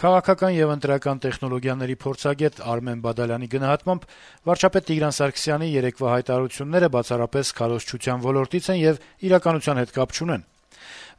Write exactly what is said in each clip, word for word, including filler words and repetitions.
Քաղաքական եւ ընտրական տեխնոլոգիաների փորձագետ Արմեն Բադալյանի գնահատմամբ վարչապետ Տիգրան Սարգսյանի երեկվա հայտարարությունները բացառապես քարոզչության ոլորտից են եւ իրականության հետ կապ չունեն։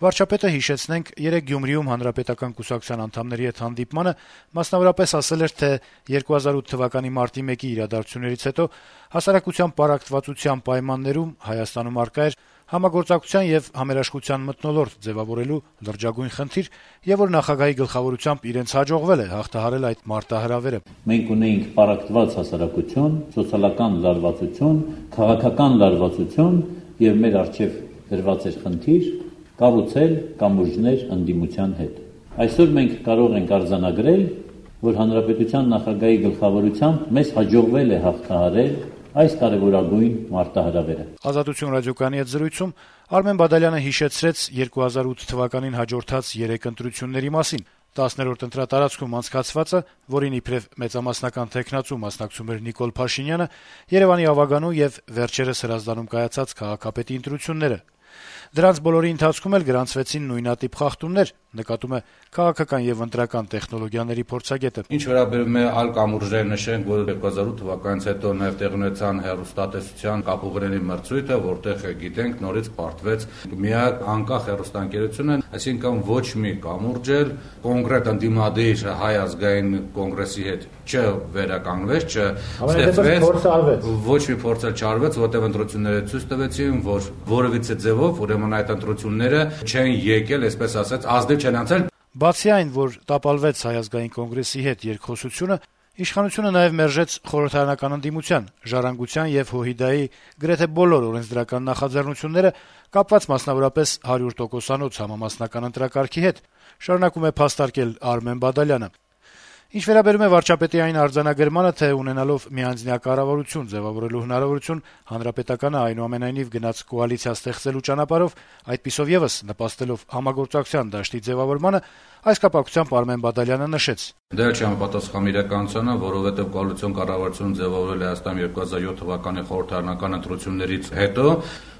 Վարչապետը, հիշեցնենք, երեկ Գյումրիում Հանրապետական կուսակցության անդամների հետ հանդիպմանը մասնավորապես ասել էր, թե երկու հազար ութ թվականի մարտի մեկի իրադարձություններից հետո հասարակության պարակտվածության պայմաններում Հայաստանում առկա էր համագործակցության եւ համերաշխության մթնոլորտ ձեւավորելու լրջագույն խնդիր, եւ որ նախագահի գլխավորությամբ իրենց հաջողվել է հաղթահարել այդ մարտահրավերը։ Մենք ունեինք պարակտված հասարակություն, սոցիալական լարվածություն, քաղաքական լարվածություն եւ մեր առջեւ դրված էր խնդիր կառուցել կամուրջներ ընդդիմության հետ։ Այսօր մենք կարող ենք արձանագրել, որ հանրապետության նախագահի գլխավորությամբ մեզ հաջողվել է հաղթահարել այս կարևորագույն մարտահրավերը։ Ազատություն ռադիոկայանի հետ զրույցում Արմեն Բադալյանը հիշեցրեց երկու հազար ութ թվականին հաջորդած երեք ընտրությունների մասին։ տասներորդ ընտրատարածքում անցկացվածը, որին իբրև մեծամասնական թեկնածու մասնակցում էր Նիկոլ Փաշինյանը, Երևանի Ավագանու եւ վերջերս Հրազդանում կայացած քաղաքապետի ընտրությունները։ Դրանց բոլորի ընթացքում էլ գրանցվեցին նույնատիպ խախտումներ, նկատում է քաղաքական եւ ընտրական տեխնոլոգիաների փորձագետը։ Ինչ վերաբերում է այլ կամուրջներ, նշենք, որ երկու հազար ութ թվականից հետո նաեւ տեղի ունեցան հեռուստատեսության կապուղիների մրցույթը, որտեղ գիտենք նորից պարտվեց միակ անկախ հեռուստաընկերությունը, այսինքն ոչ մի կամուրջ էլ կոնկրետ ընդդիմադիր Հայ ազգային կոնգրեսի հետ չվերականգնվեց, չստեղծվեց, ոչ մի փորձ էլ չարվեց, որտեղ ընտրությունները ցույց տվեցին, որ որևիցե ձևով ուրեմն այդ ընտրությունները չեն եկել, այսպես ասած, ազդել չեն անցել։ Բացի այն, որ տապալվեց Հայ ազգային կոնգրեսի հետ երկխոսությունը, իշխանությունը նաև մերժեց խորհրդարանական ընդդիմության, ժառանգության եւ ՀՅԴ-ի գրեթե բոլոր օրենսդրական նախաձեռնությունները, կապված մասնավորապես հարյուր տոկոսանոց համամասնական ընտրակարգի հետ, շարունակում է փաստարկել Արմեն Բադալյանը։ Ինչ վերաբերում է վարչապետի այն արձանագրմանը, թե ունենալով միանձնյա կառավարություն ձևավորելու հնարավորություն, հանրապետականը այնուամենայնիվ գնաց կոալիցիա ստեղծելու ճանապարհով, այդպիսով եւս նպաստելով համագործակցության դաշտի ձևավորմանը, այս կապակցությամբ Արմեն Բադալյանը նշեց. Դա չի համապատասխանում իրականությանը, որովհետեւ կոալիցիոն կառավարություն ձևավորել է Հայաստանում երկու հազար յոթ թվականի խորհրդարանական ընտրություններից հետո։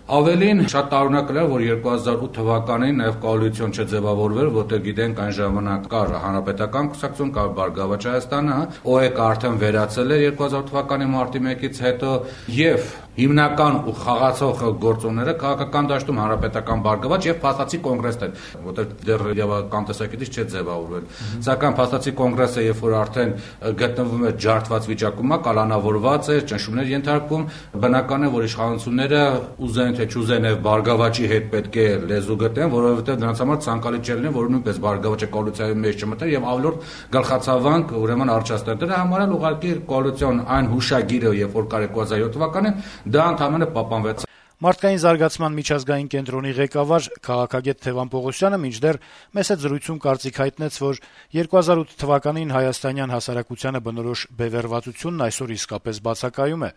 Ավելին շատ տարօրինակ էր, որ երկու հազար ութ թվականին նաև կոալիցիոն չձևավորվեր, որտեղ գիտենք այն ժամանակ կար Հանրապետական կուսակցություն, կար Բարգավաճ Հայաստանը, ՕԵԿ-ը արդեն վերացել էր երկու հազար թվականի մարտի մեկից հետո եւ հիմնական ու խաղացող գործոնները քաղաքական դաշտում Հանրապետական Բարգավաճ եւ Փաստացի կոնգրեսն էր, որտեղ դեռ իրավական տեսակետից չէ ձևավորվել։ Սակայն Փաստացի կոնգրեսը, երբ որ արդեն գտնվում է ջարդված վիճակում, կալանավորված է, ճնշումներ ենթարկվում, բնական է, որ իշխանությունները ուզեն թե չուզեն եւ Բարգավաճի հետ պետք է լեզու գտնեն, որովհետեւ դրանց համար ցանկալի չէ լինի, որ նույնպես Բարգավաճը կոալիցիայի մեջ չմտնի եւ ավելորդ գլխացավանք ուրեմն արճաստներ։ Դրա համար էլ ուղղակի կոալիցիոն այն հուշագիրը, երբ որ կար երկու հազար յոթ թվականին, դա ընդհանրապես պահպանվեց։ Մարդկային զարգացման միջազգային կենտրոնի ղեկավար քաղաքագետ Թևան Պողոսյանը մինչդեռ մեծ զրույցում կարծիք հայտնեց, որ երկու հազար ութ թվականին հայաստանյան հասարակությանը բնորոշ բևեռվածությունն այսօր իսկապես բացակայում է։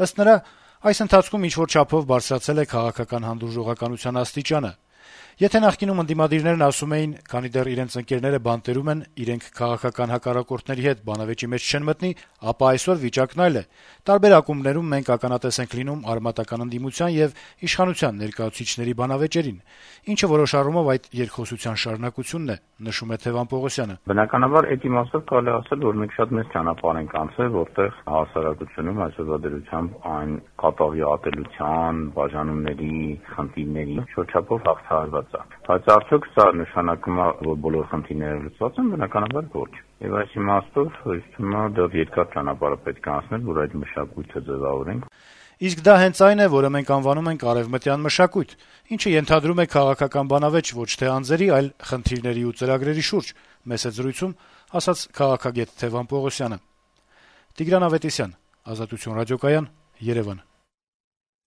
Ըստ նրա, այս ընթացքում ինչ-որ չափով բարձրացել է քաղաքական հանդուրժողականության աստիճանը։ Եթե նախկինում ընդդիմադիրներն ասում էին, քանի դեռ իրենց ընկերները բանտերում են, իրենք քաղաքական հակառակորդների հետ բանավեճի մեջ չեն մտնի, ապա այսօր վիճակն այլ է։ Տարբեր ակումբներում մենք ականատես ենք լինում արմատական ընդդիմության եւ իշխանության ներկայացուցիչների բանավեճերին, ինչը որոշ առումով այդ երկխոսության շարունակությունն է, նշում է Թևան Պողոսյանը։ Բնականաբար այդ իմաստով կարելի ասել, որ մենք շատ մեծ ճանապարհ ենք անցել, որտեղ հասարակությունում այսօրվա այն կատաղի ատելության, բաժանումների, խնդիրների շրջապով հաղթահարված է։ Բայց արդյոք սա նշանակում է, որ բոլոր խնդիրները լուծված են, բնականաբար ոչ։ Եվ այս իմաստով հույսում է դեռ երկար ճանապարհ պետք է անցնել, որ այդ մշակույթը ձևավորենք։ Իսկ դա հենց այն է, որը մենք անվանում ենք արևմտյան մշակույթ, ինչը ենթադրում է քաղաքական բանավեճ ոչ թե անձերի, այլ խնդիրների ու ծրագրերի շուրջ, մեծ զրույցում ասաց քաղաքագետ Թևան Պողոսյանը։ Տիգրան Ավետիսյան, Ազատություն ռադիոկայան, Երևան։